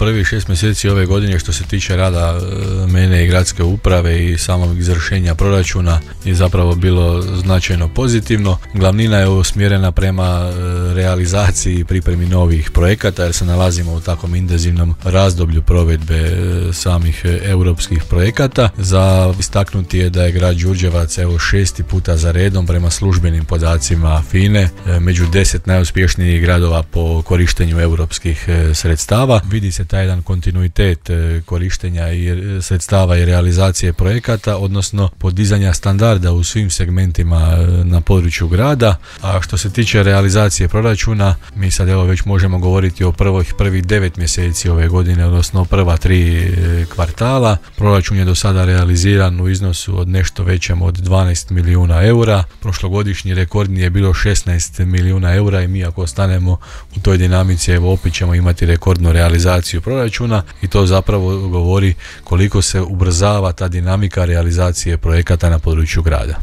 prvih 6 mjeseci ove godine što se tiče rada mene i gradske uprave i samog izvršenja proračuna je zapravo bilo značajno pozitivno. Glavnina je usmjerena prema realizaciji i pripremi novih projekata jer se nalazimo u takvom intenzivnom razdoblju provedbe samih europskih projekata. Za istaknuti je da je grad Đurđevac 6. puta za redom prema službenim podacima FINA-e među 10 najuspješnijih gradova po korištenju europskih sredstava. Vidi se taj jedan kontinuitet korištenja i sredstava i realizacije projekata, odnosno podizanja standarda u svim segmentima na području grada. A što se tiče realizacije proračuna, mi sad već možemo govoriti o prvih 9 mjeseci ove godine, odnosno prva 3 kvartala. Proračun je do sada realiziran u iznosu od nešto većem od 12 milijuna eura. Prošlogodišnji rekordni je bilo 16 milijuna eura i mi ako ostanemo u toj dinamici, opet ćemo imati rekordnu realizaciju proračuna i to zapravo govori koliko se ubrzava ta dinamika realizacije projekata na području grada.